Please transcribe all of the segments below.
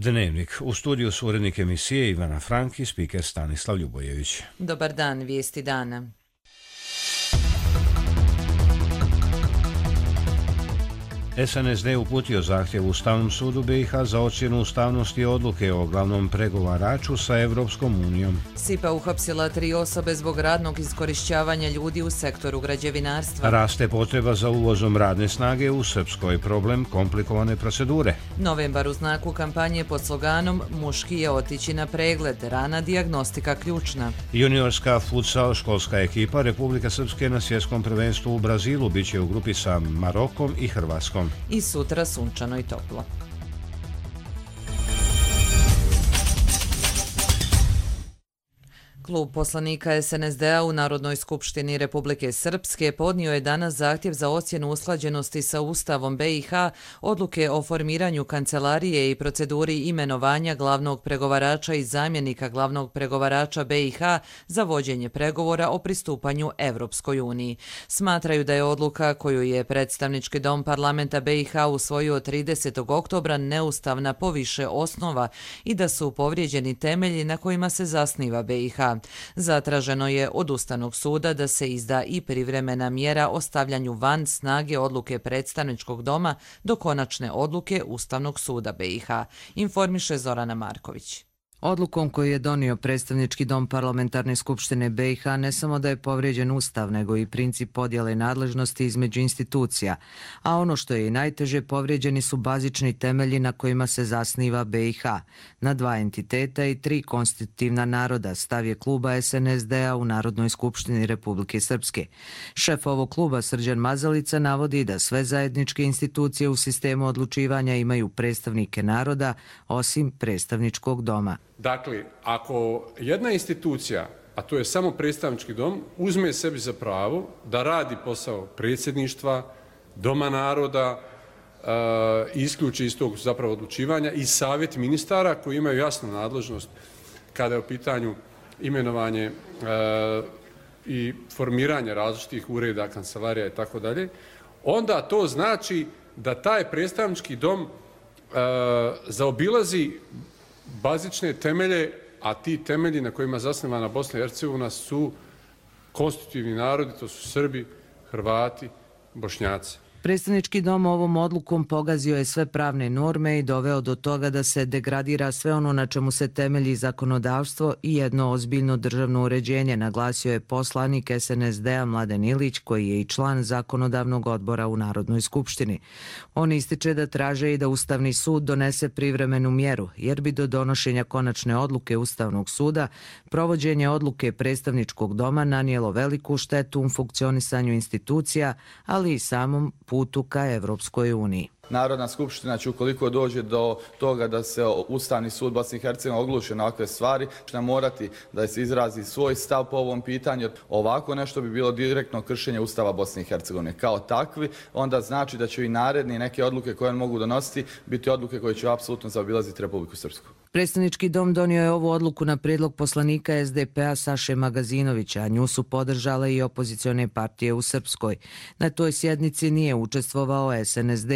Dnevnik. U studiju su urednik emisije Ivana Frank i spiker Stanislav Ljubojević. Dobar dan, vijesti dana. SNSD uputio zahtjev Ustavnom sudu BiH za ocjenu ustavnosti odluke o glavnom pregovaraču sa Evropskom unijom. SIPA uhapsila 3 osobe zbog radnog iskorišćavanja ljudi u sektoru građevinarstva. Raste potreba za uvozom radne snage u Srpskoj, problem komplikovane procedure. Novembar u znaku kampanje pod sloganom Muški je otići na pregled, rana dijagnostika ključna. Juniorska futsal školska ekipa Republike Srpske na svjetskom prvenstvu u Brazilu biće u grupi sa Marokom i Hrvatskom. I sutra sunčano i toplo. Klub poslanika SNSD-a u Narodnoj skupštini Republike Srpske podnio je danas zahtjev za ocjenu usklađenosti sa Ustavom BiH, odluke o formiranju kancelarije i proceduri imenovanja glavnog pregovarača i zamjenika glavnog pregovarača BiH za vođenje pregovora o pristupanju Evropskoj uniji. Smatraju da je odluka koju je predstavnički dom parlamenta BiH usvojio 30. oktobra neustavna po više osnova i da su povrijeđeni temelji na kojima se zasniva BiH. Zatraženo je od Ustavnog suda da se izda i privremena mjera o stavljanju van snage odluke predstavničkog doma do konačne odluke Ustavnog suda BiH, informiše Zorana Marković. Odlukom koju je donio predstavnički dom parlamentarne skupštine BiH ne samo da je povrijeđen Ustav, nego i princip podjele nadležnosti između institucija, a ono što je i najteže, povrijeđeni su bazični temelji na kojima se zasniva BiH, na 2 entiteta i 3 konstitutivna naroda, stav je kluba SNSD-a u Narodnoj skupštini Republike Srpske. Šef ovog kluba Srđan Mazalica navodi da sve zajedničke institucije u sistemu odlučivanja imaju predstavnike naroda, osim predstavničkog doma. Dakle, ako jedna institucija, a to je samo predstavnički dom, uzme sebi za pravo da radi posao predsjedništva, doma naroda, isključi iz tog zapravo odlučivanja i savjet ministara koji imaju jasnu nadležnost kada je u pitanju imenovanje i formiranje različitih ureda, kancelarija i tako dalje, onda to znači da taj predstavnički dom zaobilazi bazične temelje, a ti temelji na kojima je zasnovana Bosna i Hercegovina su konstitutivni narodi, to su Srbi, Hrvati, Bošnjaci. Predstavnički dom ovom odlukom pogazio je sve pravne norme i doveo do toga da se degradira sve ono na čemu se temelji zakonodavstvo i jedno ozbiljno državno uređenje, naglasio je poslanik SNSD-a Mladen Ilić, koji je i član zakonodavnog odbora u Narodnoj skupštini. On ističe da traže i da Ustavni sud donese privremenu mjeru, jer bi do donošenja konačne odluke Ustavnog suda provođenje odluke predstavničkog doma nanijelo veliku štetu u funkcionisanju institucija, ali i samom putu ka Evropskoj uniji. Narodna skupština će, ukoliko dođe do toga da se Ustavni sud Bosne i Hercegovine ogluši na ovakve stvari, će morati da se izrazi svoj stav po ovom pitanju. Ovako nešto bi bilo direktno kršenje Ustava Bosne i Hercegovine. Kao takvi, onda znači da će i naredni neke odluke koje mogu donositi biti odluke koje će apsolutno zaobilaziti Republiku Srpsku. Predstavnički dom donio je ovu odluku na prijedlog poslanika SDP-a Saše Magazinovića, a nju su podržale i opozicione partije u Srpskoj. Na toj sjednici nije učestvovao SNSD.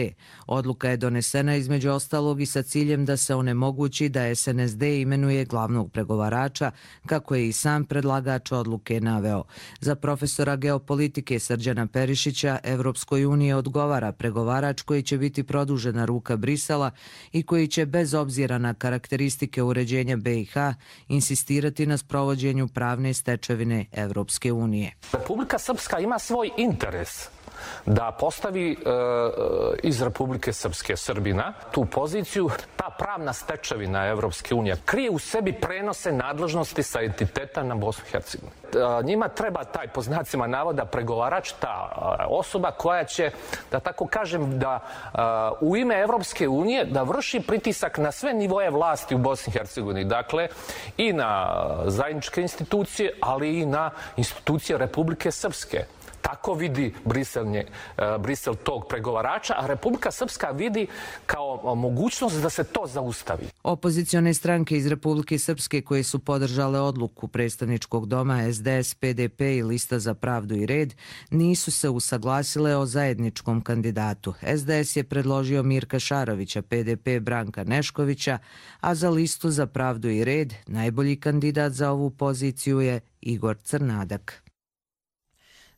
Odluka je donesena između ostalog i sa ciljem da se onemogući da SNSD imenuje glavnog pregovarača, kako je i sam predlagač odluke naveo. Za profesora geopolitike Srđana Perišića Evropskoj uniji odgovara pregovarač koji će biti produžena ruka Brisela i koji će bez obzira na karakteristike uređenja BiH insistirati na sprovođenju pravne stečevine Evropske unije. Republika Srpska ima svoj interes da postavi iz Republike Srpske Srbina tu poziciju. Ta pravna stečevina Evropske unije krije u sebi prenose nadležnosti sa entiteta na Bosnu i Hercegovinu. Njima treba taj, po znacima navoda, pregovarač, ta osoba koja će, da tako kažem, da u ime Evropske unije da vrši pritisak na sve nivoje vlasti u Bosni i Hercegovini. Dakle, i na zajedničke institucije, ali i na institucije Republike Srpske. Tako vidi Brisel tog pregovarača, a Republika Srpska vidi kao mogućnost da se to zaustavi. Opozicione stranke iz Republike Srpske koje su podržale odluku predstavničkog doma SDS, PDP i Lista za pravdu i red nisu se usaglasile o zajedničkom kandidatu. SDS je predložio Mirka Šarovića, PDP Branka Neškovića, a za Listu za pravdu i red najbolji kandidat za ovu poziciju je Igor Crnadak.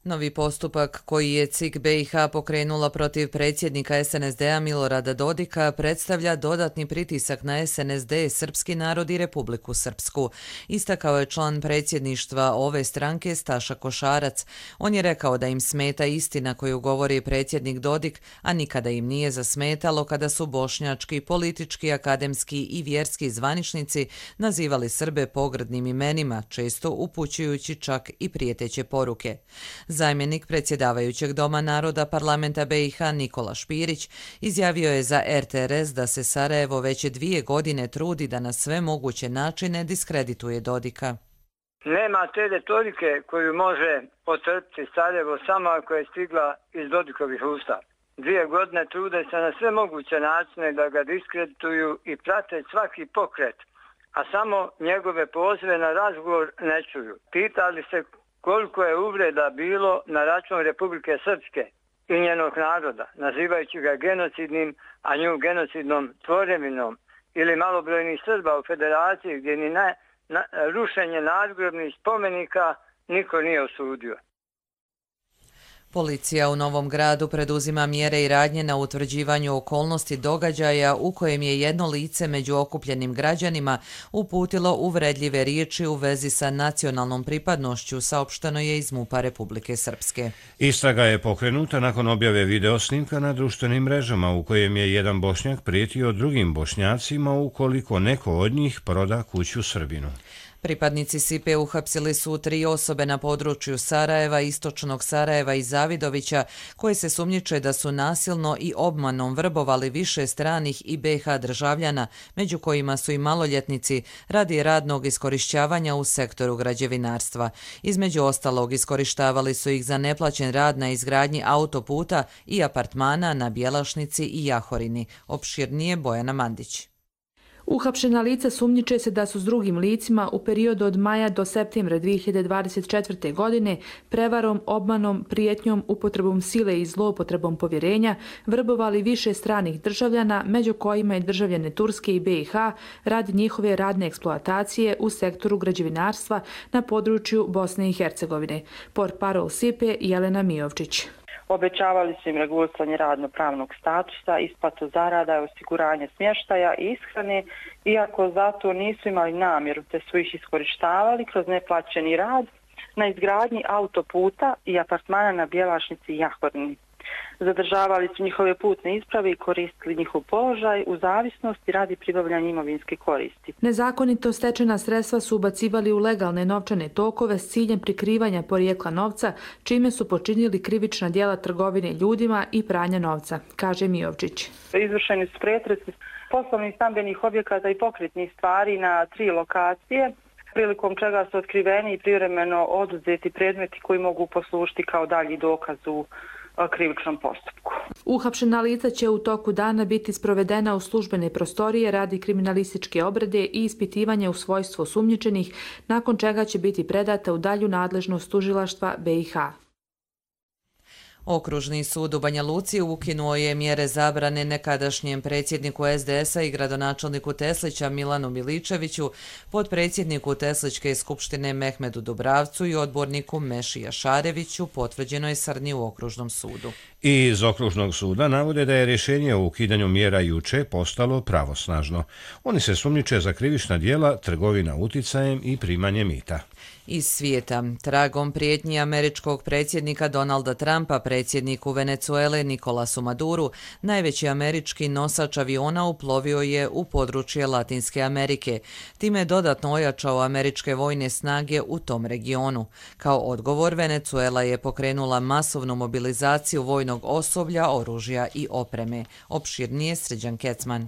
Novi postupak koji je CIK BiH pokrenula protiv predsjednika SNSD-a Milorada Dodika predstavlja dodatni pritisak na SNSD, srpski narod i Republiku Srpsku. Istakao je član predsjedništva ove stranke Staša Košarac. On je rekao da im smeta istina koju govori predsjednik Dodik, a nikada im nije zasmetalo kada su bošnjački, politički, akademski i vjerski zvaničnici nazivali Srbe pogrdnim imenima, često upućujući čak i prijeteće poruke. Zamjenik predsjedavajućeg Doma naroda parlamenta BiH Nikola Špirić izjavio je za RTRS da se Sarajevo već 2 godine trudi da na sve moguće načine diskredituje Dodika. Nema te retorike koju može potrpiti Sarajevo samo ako je stigla iz Dodikovih usta. 2 godine trude se na sve moguće načine da ga diskredituju i prate svaki pokret, a samo njegove pozive na razgovor ne čuju. Pitali se koliko je uvreda bilo na račun Republike Srpske i njenog naroda, nazivajući ga genocidnim, a nju genocidnom tvorevinom, ili malobrojnih Srba u federaciji gdje ni rušenje nadgrobnih spomenika niko nije osudio. Policija u Novom Gradu preduzima mjere i radnje na utvrđivanju okolnosti događaja u kojem je jedno lice među okupljenim građanima uputilo uvredljive riječi u vezi sa nacionalnom pripadnošću, saopšteno je iz MUP-a Republike Srpske. Istraga je pokrenuta nakon objave videosnimka na društvenim mrežama u kojem je jedan Bošnjak prijetio drugim Bošnjacima ukoliko neko od njih proda kuću Srbinu. Pripadnici SIPE uhapsili su 3 osobe na području Sarajeva, istočnog Sarajeva i Zavidovića, koje se sumnjiče da su nasilno i obmanom vrbovali više stranih i BiH državljana, među kojima su i maloljetnici, radi radnog iskorišćavanja u sektoru građevinarstva. Između ostalog, iskorištavali su ih za neplaćen rad na izgradnji autoputa i apartmana na Bjelašnici i Jahorini. Opširnije Bojana Mandić. Uhapšena lica sumnjiče se da su s drugim licima u periodu od maja do septembra 2024. godine prevarom, obmanom, prijetnjom, upotrebom sile i zloupotrebom povjerenja vrbovali više stranih državljana, među kojima i državljane Turske i BiH, radi njihove radne eksploatacije u sektoru građevinarstva na području Bosne i Hercegovine. Portparol SIPE Jelena Mijovčić. Obećavali su im regulisanje radno-pravnog statusa, isplatu zarada, osiguranje smještaja i ishrane, iako zato nisu imali namjeru te su ih iskorištavali kroz neplaćeni rad na izgradnji autoputa i apartmana na Bjelašnici i Jahorini. Zadržavali su njihove putne isprave i koristili njihov položaj u zavisnosti radi pribavljanja imovinske koristi. Nezakonito stečena sredstva su ubacivali u legalne novčane tokove s ciljem prikrivanja porijekla novca, čime su počinili krivična djela trgovine ljudima i pranja novca, kaže Mijovčić. Izvršeni su pretresi poslovnih stambenih objekata i pokretnih stvari na 3 lokacije, prilikom čega su otkriveni i privremeno oduzeti predmeti koji mogu poslužiti kao dalji dokaz u krivičnom postupku. Uhapšena lica će u toku dana biti sprovedena u službene prostorije radi kriminalističke obrade i ispitivanja u svojstvo osumnjičenih, nakon čega će biti predata u dalju nadležnost tužilaštva BiH. Okružni sud u Banja Luci ukinuo je mjere zabrane nekadašnjem predsjedniku SDS-a i gradonačelniku Teslića Milanu Miličeviću, potpredsjedniku Teslićke skupštine Mehmedu Dubravcu i odborniku Meši Jašareviću, potvrđeno je Srni u Okružnom sudu. I iz Okružnog suda navode da je rješenje o ukidanju mjera juče postalo pravosnažno. Oni se sumnjiče za krivična djela, trgovina uticajem i primanje mita. Iz svijeta. Tragom prijetnji američkog predsjednika Donalda Trumpa predsjedniku Venezuele Nikolasu Maduru, najveći američki nosač aviona uplovio je u područje Latinske Amerike. Time je dodatno ojačao američke vojne snage u tom regionu. Kao odgovor, Venezuela je pokrenula masovnu mobilizaciju vojnog osoblja, oružja i opreme. Opširnije Srđan Kecman.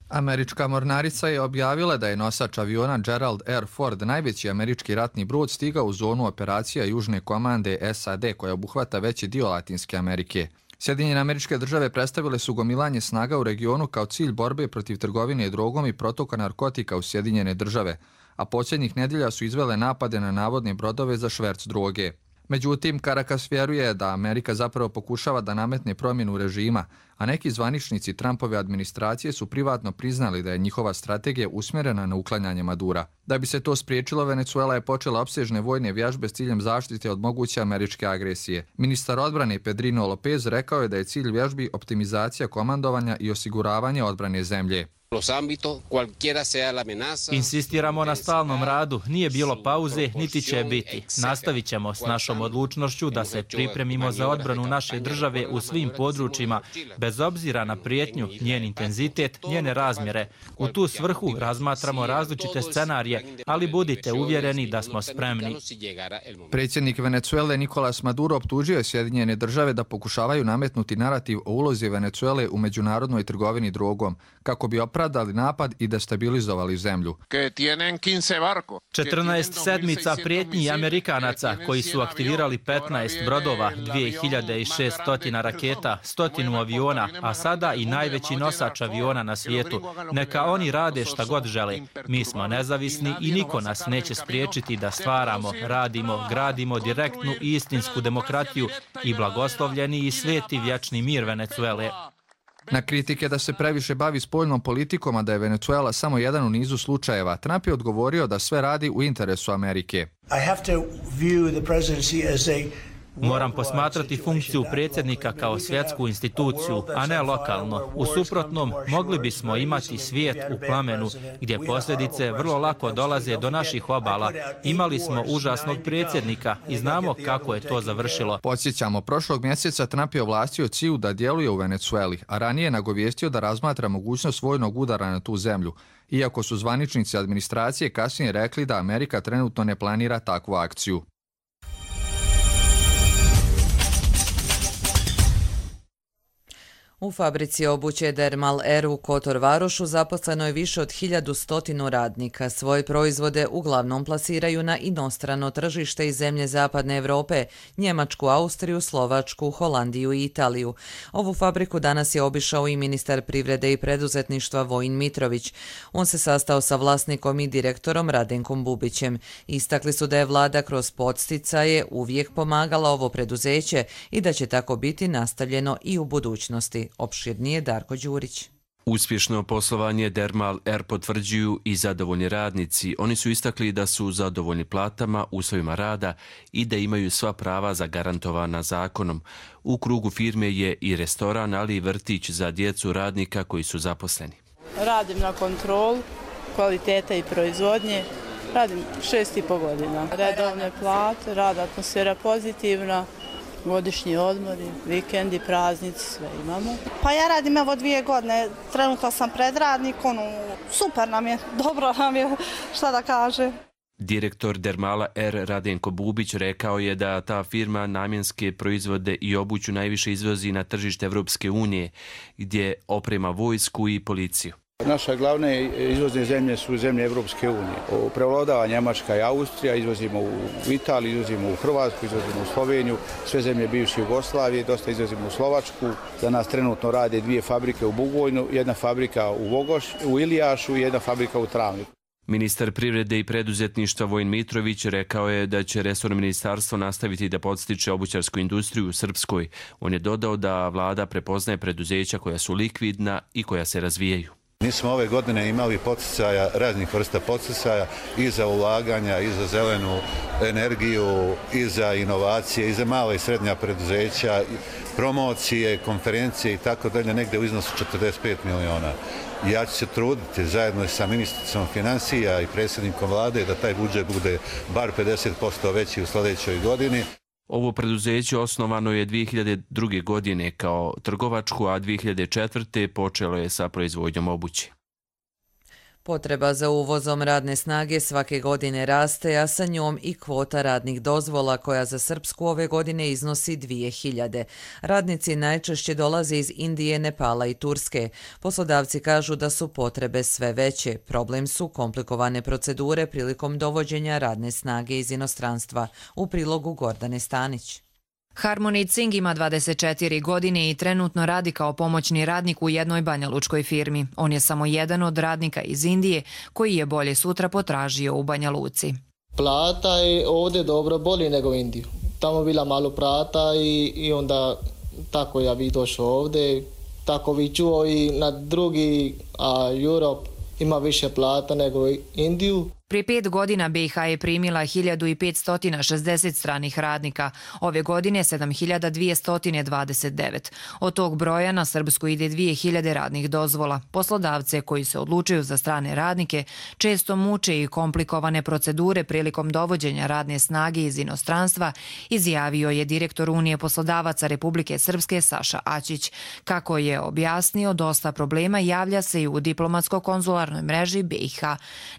Američka mornarica je objavila da je nosač aviona Gerald R. Ford, najveći američki ratni brod, stigao u zonu operacija Južne komande SAD koja obuhvata veći dio Latinske Amerike. Sjedinjene Američke Države predstavile su gomilanje snaga u regionu kao cilj borbe protiv trgovine drogom i protoka narkotika u Sjedinjene Države, a posljednjih nedjelja su izvele napade na navodne brodove za šverc droge. Međutim, Caracas vjeruje da Amerika zapravo pokušava da nametne promjenu režima, a neki zvaničnici Trumpove administracije su privatno priznali da je njihova strategija usmjerena na uklanjanje Madura. Da bi se to spriječilo, Venezuela je počela opsežne vojne vježbe s ciljem zaštite od moguće američke agresije. Ministar odbrane Pedrino Lopez rekao je da je cilj vježbi optimizacija komandovanja i osiguravanje odbrane zemlje. Insistiramo na stalnom radu, nije bilo pauze, niti će biti. Nastavit ćemo s našom odlučnošću da se pripremimo za odbranu naše države u svim područjima, bez obzira na prijetnju, njen intenzitet, njene razmjere. U tu svrhu razmatramo različite scenarije, ali budite uvjereni da smo spremni. Predsjednik Venezuele Nicolas Maduro optužio je Sjedinjene Države da pokušavaju nametnuti narativ o ulozi Venezuele u međunarodnoj trgovini drogom, kako bi opravdali napad i destabilizovali zemlju. 14 sedmica prijetnji Amerikanaca koji su aktivirali 15 brodova, 2600 raketa, 100 aviona, a sada i najveći nosač aviona na svijetu. Neka oni rade šta god žele. Mi smo nezavisni i niko nas neće spriječiti da stvaramo, radimo, gradimo direktnu i istinsku demokratiju i blagoslovljeni i sveti vječni mir Venezuele. Na kritike da se previše bavi spoljnom politikom, a da je Venezuela samo jedan u nizu slučajeva, Trump je odgovorio da sve radi u interesu Amerike. Moram posmatrati funkciju predsjednika kao svjetsku instituciju, a ne lokalno. U suprotnom, mogli bismo imati svijet u plamenu, gdje posljedice vrlo lako dolaze do naših obala. Imali smo užasnog predsjednika i znamo kako je to završilo. Podsjećamo, prošlog mjeseca Trump je ovlastio CIA da djeluje u Venezueli, a ranije je nagovijestio da razmatra mogućnost vojnog udara na tu zemlju, iako su zvaničnici administracije kasnije rekli da Amerika trenutno ne planira takvu akciju. U fabrici obuće Dermal Air u Kotor Varošu zaposleno je više od 1100 radnika. Svoje proizvode uglavnom plasiraju na inostrano tržište iz zemlje Zapadne Europe, Njemačku, Austriju, Slovačku, Holandiju i Italiju. Ovu fabriku danas je obišao i ministar privrede i preduzetništva Vojin Mitrović. On se sastao sa vlasnikom i direktorom Radenkom Bubićem. Istakli su da je vlada kroz podsticaje uvijek pomagala ovo preduzeće i da će tako biti nastavljeno i u budućnosti. Opširnije Darko Đurić. Uspješno poslovanje Dermal Air potvrđuju i zadovoljni radnici. Oni su istakli da su zadovoljni platama, uslovima rada i da imaju sva prava zagarantovana zakonom. U krugu firme je i restoran, ali i vrtić za djecu radnika koji su zaposleni. Radim na kontrolu kvalitete i proizvodnje. Radim 6,5 godina. Redovne plate, rad, atmosfera pozitivna. Godišnji odmori, vikendi, praznici, sve imamo. Pa ja radim evo 2 godine, trenutno sam predradnik, super nam je, dobro nam je, šta da kaže. Direktor Dermala Air Radenko Bubić rekao je da ta firma namjenske proizvode i obuću najviše izvozi na tržište Evropske unije, gdje oprema vojsku i policiju. Naše glavne izvozne zemlje su zemlje Evropske unije. Prevladava Njemačka i Austrija, izvozimo u Italiju, izvozimo u Hrvatsku, izvozimo u Sloveniju, sve zemlje bivše Jugoslavije, dosta izvozimo u Slovačku. Za nas trenutno rade 2 fabrike u Bugojnu, jedna fabrika u Ilijašu i jedna fabrika u Travniku. Ministar privrede i preduzetništva Vojin Mitrović rekao je da će resorno ministarstvo nastaviti da podstiče obućarsku industriju u Srpskoj. On je dodao da vlada prepoznaje preduzeća koja su likvidna i koja se razvijaju. Mi smo ove godine imali poticaja, raznih vrsta poticaja i za ulaganja, i za zelenu energiju, i za inovacije, i za mala i srednja preduzeća, promocije, konferencije i tako dalje, negdje u iznosu 45 miliona. Ja ću se truditi zajedno sa ministricom financija i predsjednikom vlade da taj budžet bude bar 50% veći u sljedećoj godini. Ovo preduzeće osnovano je 2002. godine kao trgovačko, a 2004. počelo je sa proizvodnjom obuće. Potreba za uvozom radne snage svake godine raste, a sa njom i kvota radnih dozvola koja za Srpsku ove godine iznosi 2000. Radnici najčešće dolaze iz Indije, Nepala i Turske. Poslodavci kažu da su potrebe sve veće. Problem su komplikovane procedure prilikom dovođenja radne snage iz inostranstva. U prilogu Gordane Stanić. Harmony Singh ima 24 godine i trenutno radi kao pomoćni radnik u jednoj banjalučkoj firmi. On je samo jedan od radnika iz Indije koji je bolje sutra potražio u Banja Luci. Plata je ovdje dobro, bolje nego u Indiju. Tamo bila malo plata i onda tako ja bi došao ovdje. Tako bi čuo i na drugi, a Europe ima više plata nego Indiju. Prije 5 godina BiH je primila 1560 stranih radnika, ove godine 7229. Od tog broja na Srpsku ide 2000 radnih dozvola. Poslodavce koji se odlučuju za strane radnike često muče i komplikovane procedure prilikom dovođenja radne snage iz inostranstva, izjavio je direktor Unije poslodavaca Republike Srpske Saša Ačić. Kako je objasnio, dosta problema javlja se i u diplomatsko-konzularnoj mreži BiH.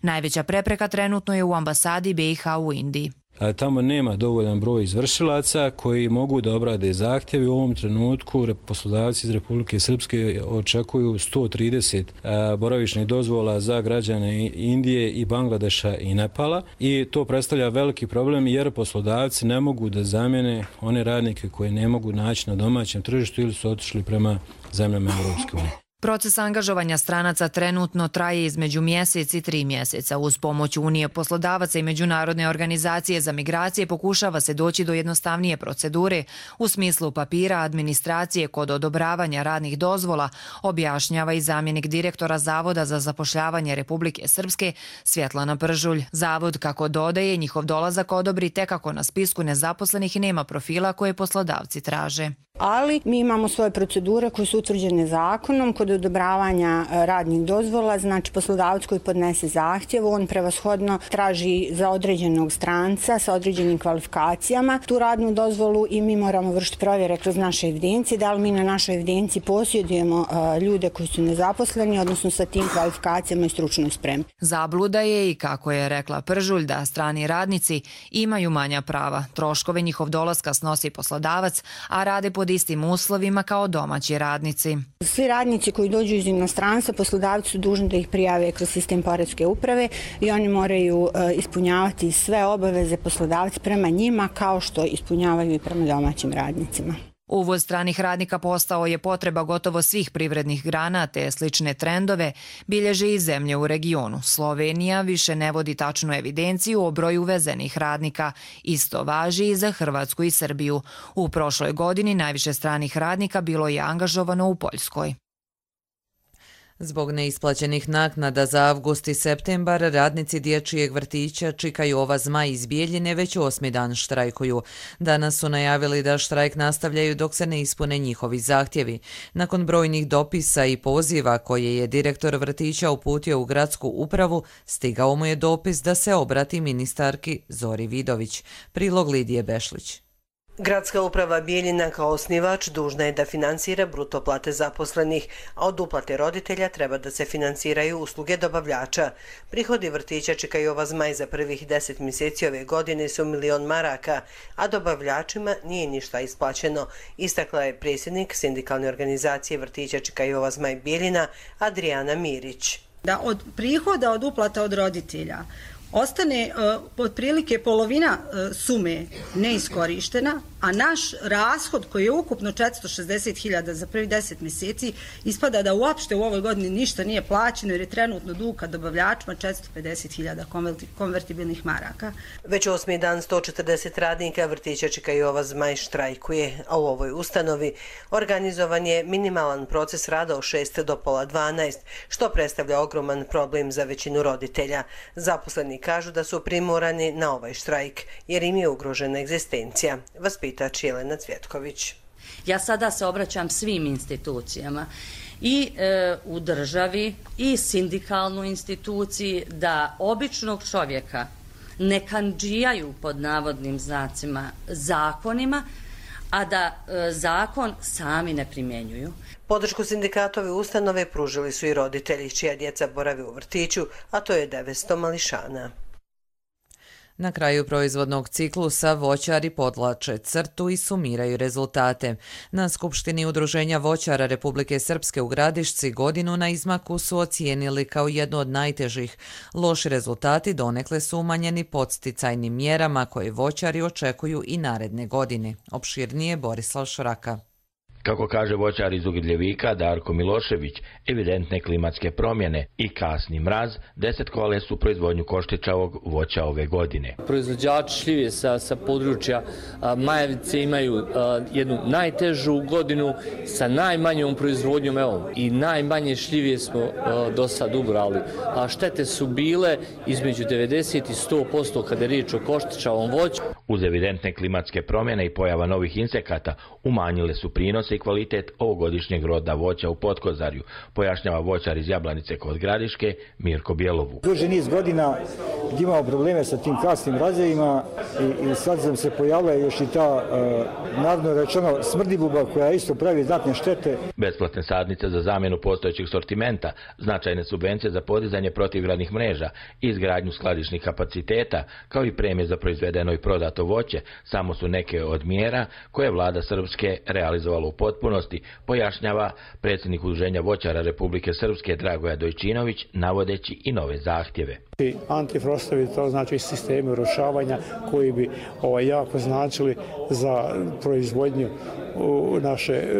Najveća prepreka trenutno je u ambasadi BiH u Indiji. Tamo nema dovoljan broj izvršilaca koji mogu da obrade zahtjevi. U ovom trenutku poslodavci iz Republike Srpske očekuju 130 boravišnih dozvola za građane Indije i Bangladeša i Nepala i to predstavlja veliki problem jer poslodavci ne mogu da zamene one radnike koje ne mogu naći na domaćem tržištu ili su otišli prema zemljama Europske unije. Proces angažovanja stranaca trenutno traje između mjesec i 3 mjeseca. Uz pomoć Unije poslodavaca i Međunarodne organizacije za migracije pokušava se doći do jednostavnije procedure u smislu papira administracije kod odobravanja radnih dozvola, objašnjava i zamjenik direktora Zavoda za zapošljavanje Republike Srpske Svjetlana Pržulj. Zavod, kako dodaje, njihov dolazak odobri tek ako na spisku nezaposlenih nema profila koje poslodavci traže. Ali mi imamo svoje procedure koje su utvrđene zakonom kod odobravanja radnih dozvola. Znači poslodavac koji podnese zahtjev, on prevashodno traži za određenog stranca sa određenim kvalifikacijama tu radnu dozvolu i mi moramo vršiti provjere kroz naše evidencije da li mi na našoj evidenciji posjedujemo ljude koji su nezaposleni, odnosno sa tim kvalifikacijama i stručnoj spremi. Zabluda je i, kako je rekla Pržulj, da strani radnici imaju manja prava. Troškove njihov dolaska snosi poslodavac, a rade pod istim uslovima kao domaći radnici. Svi radnici koji dođu iz inostranstva, poslodavci su dužni da ih prijave kroz sistem poreske uprave i oni moraju ispunjavati sve obaveze poslodavci prema njima kao što ispunjavaju i prema domaćim radnicima. Uvoz stranih radnika postao je potreba gotovo svih privrednih grana, te slične trendove bilježe i zemlje u regionu. Slovenija više ne vodi tačnu evidenciju o broju uvezenih radnika. Isto važi i za Hrvatsku i Srbiju. U prošloj godini najviše stranih radnika bilo je angažovano u Poljskoj. Zbog neisplaćenih naknada za avgust i septembar, radnici dječjeg vrtića Čika Jova Zmaj iz Bijeljine već 8. dan štrajkuju. Danas su najavili da štrajk nastavljaju dok se ne ispune njihovi zahtjevi. Nakon brojnih dopisa i poziva koje je direktor vrtića uputio u gradsku upravu, stigao mu je dopis da se obrati ministarki Zori Vidović. Prilog Lidije Bešlić. Gradska uprava Bijeljina kao osnivač dužna je da finansira bruto plate zaposlenih, a od uplate roditelja treba da se finansiraju usluge dobavljača. Prihodi vrtića Čika Jova Zmaj za prvih 10 mjeseci ove godine su 1.000.000 maraka, a dobavljačima nije ništa isplaćeno, istakla je predsjednik sindikalne organizacije vrtića Čika Jova Zmaj Bijeljina Adriana Mirić. Da od prihoda od uplata od roditelja ostane otprilike polovina sume neiskorištena, a naš rashod koji je ukupno 460.000 za prvi 10 mjeseci ispada da uopšte u ovoj godini ništa nije plaćeno jer je trenutno dug ka dobavljačima 450.000 konvertibilnih maraka. Već 8. dan 140 radnika vrtića Čika Jova Zmaj štrajkuje, a u ovoj ustanovi organizovan je minimalan proces rada od 6 do pola 12, što predstavlja ogroman problem za većinu roditelja. Zaposleni kažu da su primorani na ovaj štrajk jer im je ugrožena egzistencija. Vaspitač Jelena Cvjetković. Ja sada se obraćam svim institucijama i u državi i sindikalnoj instituciji da običnog čovjeka ne kandžijaju pod navodnim znacima zakonima, a da zakon sami ne primjenjuju. Podršku sindikatove ustanove pružili su i roditelji čija djeca borave u vrtiću, a to je 900 mališana. Na kraju proizvodnog ciklusa voćari podlače crtu i sumiraju rezultate. Na Skupštini Udruženja voćara Republike Srpske u Gradišci godinu na izmaku su ocijenili kao jednu od najtežih. Loši rezultati donekle su umanjeni podsticajnim mjerama koje voćari očekuju i naredne godine. Opširnije Borislav Šraka. Kako kaže voćar iz Ugljevika Darko Milošević, evidentne klimatske promjene i kasni mraz desetkole su proizvodnju koštičavog voća ove godine. Proizvođači šljive sa područja Majevice imaju jednu najtežu godinu sa najmanjom proizvodnjom, i najmanje šljive smo do sad ubrali. A štete su bile između 90 i 100% kada je riječ o koštičavom voću. Uz evidentne klimatske promjene i pojava novih insekata umanjile su prinose i kvalitet ovogodišnjeg roda voća u Potkozarju, pojašnjava voćar iz Jablanice kod Gradiške Mirko Bjelovu. Duži niz godina imamo probleme sa tim kasnim razvojima i sad sam se pojavila još i ta, narodno rečeno, smrdibuba koja isto pravi znatne štete. Besplatne sadnice za zamjenu postojećeg sortimenta, značajne subvencije za podizanje protivgradnih mreža i izgradnju skladišnih kapaciteta, kao i premije za proizvedeno i prodato voće, samo su neke od mjera koje je vlada Srpske realizovala u potpunosti, pojašnjava predsjednik Udruženja voćara Republike Srpske Dragoja Dojčinović, navodeći i nove zahtjeve. Antifrostovi, to znači sistemi urušavanja koji bi jako značili za proizvodnju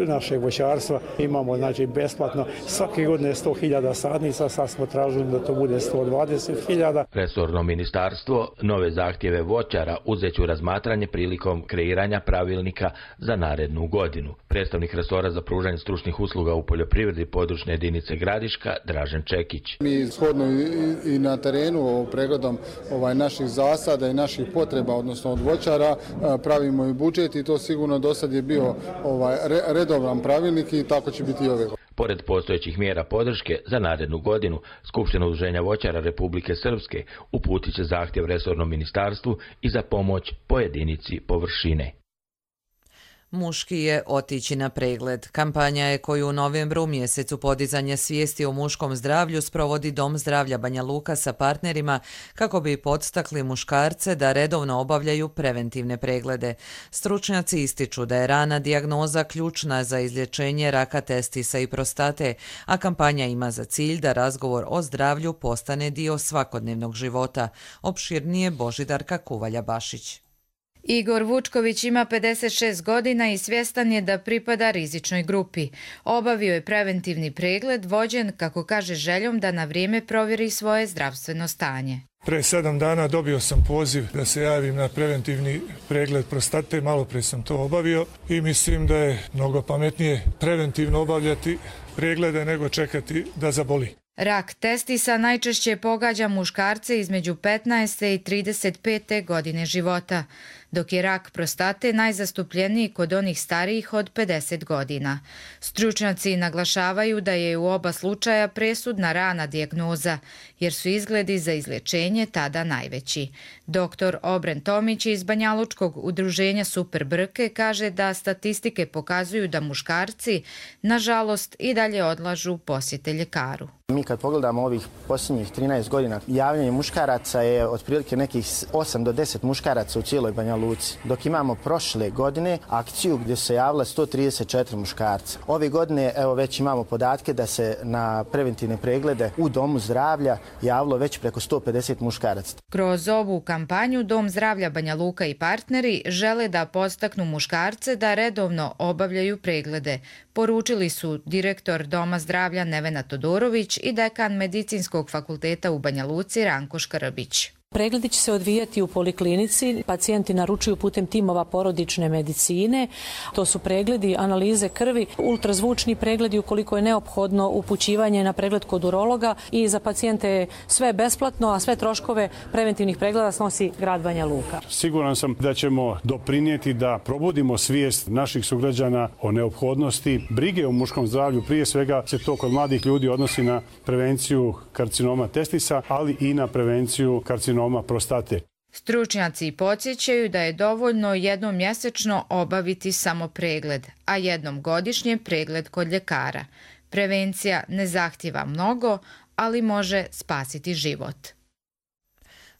našeg voćarstva. Imamo znači besplatno svake godine 100.000 sadnica, sad smo tražili da to bude 120.000. Resorno ministarstvo nove zahtjeve voćara uzeće u razmatranje prilikom kreiranja pravilnika za narednu godinu. Predstavnik resora za pružanje stručnih usluga u poljoprivredi područne jedinice Gradiška Dražen Čekić. Mi shodno i na terenu pregledom naših zasada i naših potreba, odnosno od voćara, pravimo i budžet i to sigurno do sad je bio redovan pravilnik i tako će biti i ove godine. Pored postojećih mjera podrške za narednu godinu, Skupština Udruženja voćara Republike Srpske uputit će zahtjev resornom ministarstvu i za pomoć po jedinici površine. Muški je otići na pregled. Kampanja je koju u novembru, mjesecu podizanja svijesti o muškom zdravlju, sprovodi Dom zdravlja Banja Luka sa partnerima kako bi podstakli muškarce da redovno obavljaju preventivne preglede. Stručnjaci ističu da je rana dijagnoza ključna za izlječenje raka testisa i prostate, a kampanja ima za cilj da razgovor o zdravlju postane dio svakodnevnog života. Opširnije Božidarka Kuvalja-Bašić. Igor Vučković ima 56 godina i svjestan je da pripada rizičnoj grupi. Obavio je preventivni pregled vođen, kako kaže, željom da na vrijeme provjeri svoje zdravstveno stanje. Pre 7 dana dobio sam poziv da se javim na preventivni pregled prostate, malo pre sam to obavio i mislim da je mnogo pametnije preventivno obavljati preglede nego čekati da zaboli. Rak testisa najčešće pogađa muškarce između 15. i 35. godine života, dok je rak prostate najzastupljeniji kod onih starijih od 50 godina. Stručnjaci naglašavaju da je u oba slučaja presudna rana dijagnoza, jer su izgledi za izlječenje tada najveći. Dr. Obren Tomić iz Banjalučkog udruženja Super Brke kaže da statistike pokazuju da muškarci, nažalost, i dalje odlažu posjete ljekaru. Mi kad pogledamo ovih posljednjih 13 godina, javljanje muškaraca je otprilike nekih 8 do 10 muškaraca u cijeloj Banja Luci, dok imamo prošle godine akciju gdje se javila 134 muškarca. Ove godine već imamo podatke da se na preventivne preglede u Domu zdravlja javilo već preko 150 muškaraca. Kroz ovu kampanju Dom zdravlja Banja Luka i partneri žele da podstaknu muškarce da redovno obavljaju preglede. Poručili su direktor Doma zdravlja Nevena Todorović i dekan Medicinskog fakulteta u Banja Luci Ranko Škrbić. Pregledi će se odvijati u poliklinici. Pacijenti naručuju putem timova porodične medicine. To su pregledi, analize krvi, ultrazvučni pregledi ukoliko je neophodno upućivanje na pregled kod urologa i za pacijente je sve besplatno, a sve troškove preventivnih pregleda snosi grad Banja Luka. Siguran sam da ćemo doprinijeti da probudimo svijest naših sugrađana o neophodnosti brige o muškom zdravlju. Prije svega se to kod mladih ljudi odnosi na prevenciju karcinoma testisa, ali i na prevenciju karcinoma prostate. Stručnjaci podsjećaju da je dovoljno jednom mjesečno obaviti samo pregled, a jednom godišnje pregled kod ljekara. Prevencija ne zahtijeva mnogo, ali može spasiti život.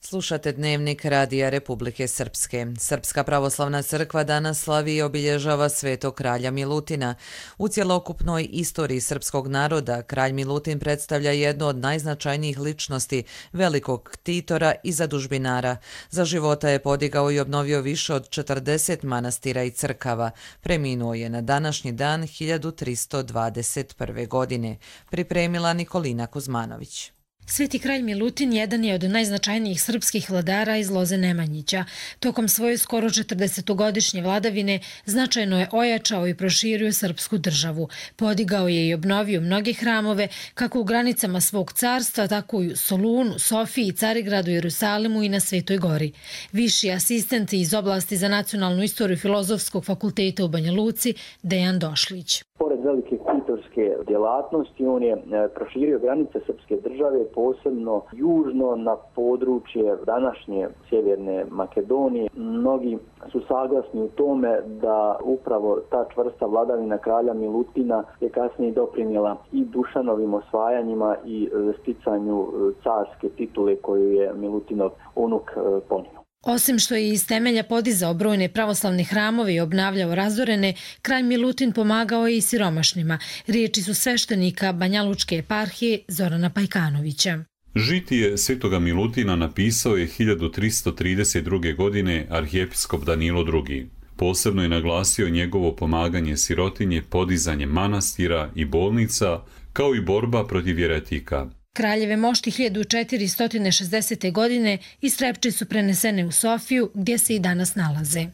Slušate Dnevnik Radija Republike Srpske. Srpska pravoslavna crkva danas slavi i obilježava Svetog kralja Milutina. U cjelokupnoj istoriji srpskog naroda kralj Milutin predstavlja jednu od najznačajnijih ličnosti, velikog ktitora i zadužbinara. Za života je podigao i obnovio više od 40 manastira i crkava. Preminuo je na današnji dan 1321. godine. Pripremila Nikolina Kuzmanović. Sveti kralj Milutin jedan je od najznačajnijih srpskih vladara iz loze Nemanjića. Tokom svoje skoro 40-godišnje vladavine značajno je ojačao i proširio srpsku državu. Podigao je i obnovio mnoge hramove, kako u granicama svog carstva, tako i u Solunu, Sofiji, Carigradu, Jerusalimu i na Svetoj gori. Viši asistent iz oblasti za nacionalnu istoriju Filozofskog fakulteta u Banja Luci, Dejan Došlić. Pored velike ktitorske djelatnosti, on je proširio granice srpske države, posebno južno na područje današnje Sjeverne Makedonije. Mnogi su saglasni u tome da upravo ta čvrsta vladavina kralja Milutina je kasnije doprinijela i Dušanovim osvajanjima i sticanju carske titule koju je Milutinov unuk ponio. Osim što je iz temelja podizao brojne pravoslavne hramove i obnavljao razorene, kralj Milutin pomagao i siromašnima. Riječi su sveštenika Banjalučke eparhije Zorana Pajkanovića. Žitije svetoga Milutina napisao je 1332. godine arhijepiskop Danilo II. Posebno je naglasio njegovo pomaganje sirotinje, podizanje manastira i bolnica, kao i borba protiv jeretika. Kraljeve mošti 1460. godine iz Trepče su prenesene u Sofiju, gdje se i danas nalaze.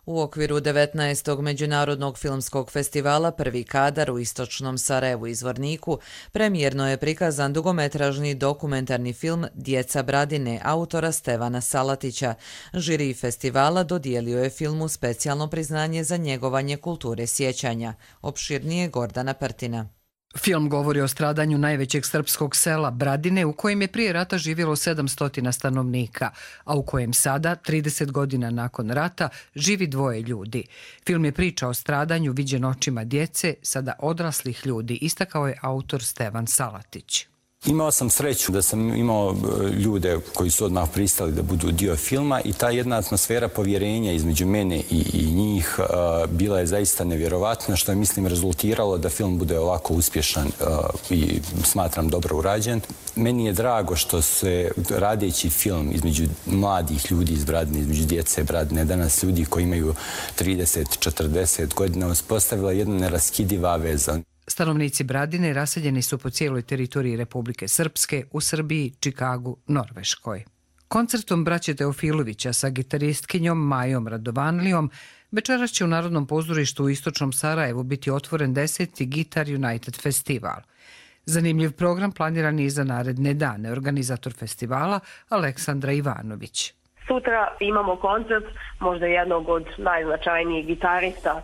U okviru 19. Međunarodnog filmskog festivala Prvi kadar u istočnom Sarajevu i Zvorniku premijerno je prikazan dugometražni dokumentarni film Djeca Bradine autora Stevana Salatića. Žiri festivala dodijelio je filmu specijalno priznanje za njegovanje kulture sjećanja. Opširnije Gordana Prtina. Film govori o stradanju najvećeg srpskog sela Bradine u kojem je prije rata živjelo 700 stanovnika, a u kojem sada, 30 godina nakon rata, živi 2 ljudi. Film je priča o stradanju viđen očima djece, sada odraslih ljudi, istakao je autor Stevan Salatić. Imao sam sreću da sam imao ljude koji su odmah pristali da budu dio filma i ta jedna atmosfera povjerenja između mene i njih bila je zaista nevjerovatna, što je, mislim, rezultiralo da film bude ovako uspješan i smatram dobro urađen. Meni je drago što se radeći film između mladih ljudi iz Bradine, između djece Bradine, danas ljudi koji imaju 30-40 godina, uspostavila jedna neraskidiva veza. Stanovnici Bradine raseljeni su po cijeloj teritoriji Republike Srpske, u Srbiji, Čikagu, Norveškoj. Koncertom braće Teofilovića sa gitaristkinjom Majom Radovanlijom večeras će u Narodnom pozorištu u istočnom Sarajevu biti otvoren 10. Guitar United festival. Zanimljiv program planiran je i za naredne dane, organizator festivala Aleksandra Ivanović. Sutra imamo koncert možda jednog od najznačajnijih gitarista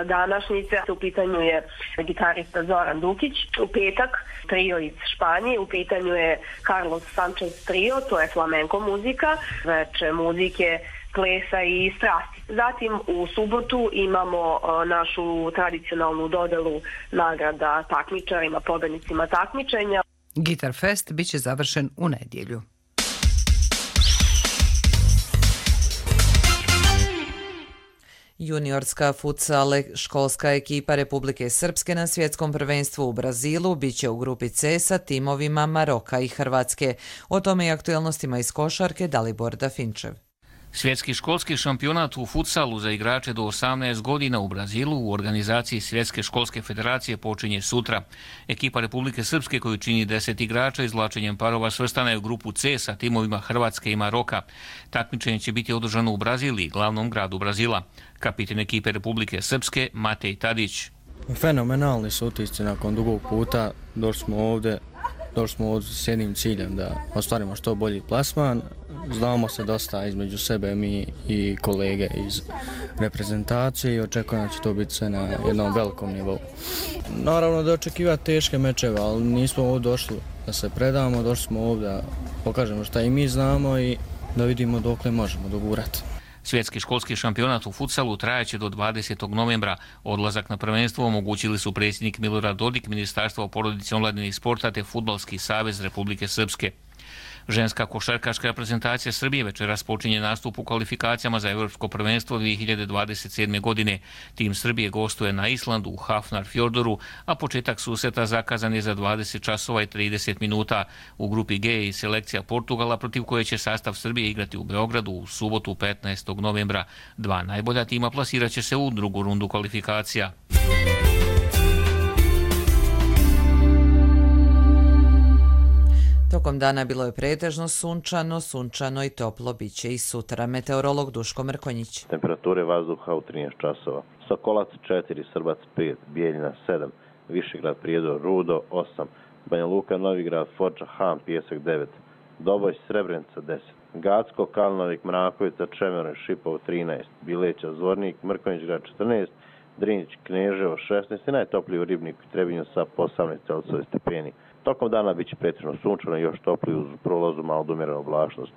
današnjice. U pitanju je gitarista Zoran Dukić. U petak trio iz Španije. U pitanju je Carlos Sanchez trio, to je flamenko muzika, veče muzike, plesa i strasti. Zatim u subotu imamo našu tradicionalnu dodelu nagrada takmičarima, pobjednicima takmičenja. Guitar Fest biće završen u nedjelju. Juniorska futsal školska ekipa Republike Srpske na svjetskom prvenstvu u Brazilu biće u grupi C sa timovima Maroka i Hrvatske. O tome i aktualnostima iz košarke Dalibor Dafinčev. Svjetski školski šampionat u futsalu za igrače do 18 godina u Brazilu u organizaciji Svjetske školske federacije počinje sutra. Ekipa Republike Srpske, koju čini 10 igrača izvlačenjem parova, svrstana je u grupu C sa timovima Hrvatske i Maroka. Takmičenje će biti održano u Braziliji, glavnom gradu Brazila. Kapitan ekipe Republike Srpske Matej Tadić. Fenomenalni su utisci nakon dugog puta. Došli smo ovdje s jednim ciljem da ostvarimo što bolji plasman. Znamo se dosta između sebe, mi i kolege iz reprezentacije, i očekujem da će to biti sve na jednom velikom nivou. Naravno da očekivati teške mečeve, ali nismo ovdje došli da se predamo, došli smo ovdje da pokažemo šta i mi znamo i da vidimo dokle možemo dogurati. Svjetski školski šampionat u futsalu trajaće do 20. novembra. Odlazak na prvenstvo omogućili su predsjednik Milorad Dodik, Ministarstvo porodice, omladine i sporta te Fudbalski savez Republike Srpske. Ženska košarkaška reprezentacija Srbije večeras počinje nastup u kvalifikacijama za Evropsko prvenstvo 2027. godine. Tim Srbije gostuje na Islandu u Hafnarfjordoru, a početak susreta zakazan je za 20 časova i 30 minuta. U grupi G i selekcija Portugala, protiv koje će sastav Srbije igrati u Beogradu u subotu 15. novembra. Dva najbolja tima plasirat će se u drugu rundu kvalifikacija. Tokom dana bilo je pretežno sunčano i toplo biće i sutra. Meteorolog Duško Mrkonjić. Temperature vazduha u 13 časova. Sokolac 4, Srbac 5, Bijeljina 7, Višegrad, Prijedor, Rudo 8, Banja Luka, Novigrad, Foča, Han, Pijesak 9, Doboj, Srebrenica 10, Gacko, Kalnovik, Mrakovica, Čemeran, Šipov 13, Bileća, Zvornik, Mrkonjić grad 14, Drinjić, Kneževo 16 i najtopliji u Ribniku i Trebinju sa 18 Celsijevi stepeni. Tokom dana biće pretežno sunčano i još topliji uz prolazu malo umjerenu oblačnost.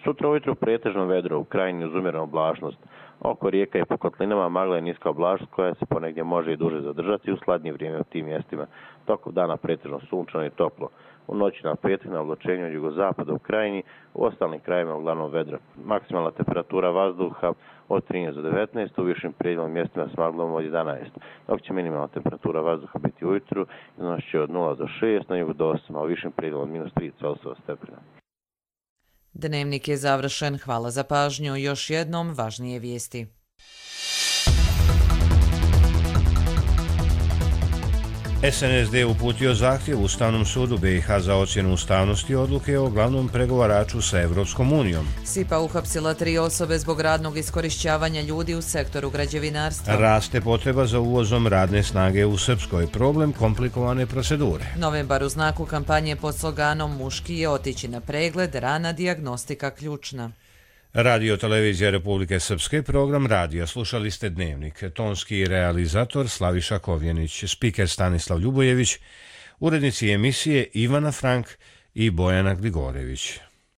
Sutra ujutru pretežno vedro u krajini uz umjerenu oblačnost. Oko rijeka i po kotlinama magla i niska oblačnost koja se ponegdje može i duže zadržati u sladnije vrijeme u tim mjestima. Tokom dana pretežno sunčano i toplo. U noći na petak na oblačenju od jugozapada u krajini, u ostalim krajima uglavnom vedro. Maksimalna temperatura vazduha od 13 do 19, u višim predjelom mjestima s maglom od 11. Dok će minimalna temperatura vazduha biti ujutru, iznosi od 0 do 6, na jugu do 8, a u višim predjelom minus 3 Celsijeва stepena. Dnevnik je završen. Hvala za pažnju. Još jednom važnije vijesti. SNSD uputio zahtjev Ustavnom sudu BiH za ocjenu ustavnosti odluke o glavnom pregovaraču sa Evropskom unijom. SIPA uhapsila 3 osobe zbog radnog iskorišćavanja ljudi u sektoru građevinarstva. Raste potreba za uvozom radne snage u Srpskoj. Problem komplikovane procedure. Novembar u znaku kampanje pod sloganom Muški je otići na pregled, rana dijagnostika ključna. Radio Televizija Republike Srpske, program radija. Slušali ste Dnevnik. Tonski realizator Slaviša Kovjenić, spiker Stanislav Ljubojević, urednici emisije Ivana Frank i Bojana Gligorević.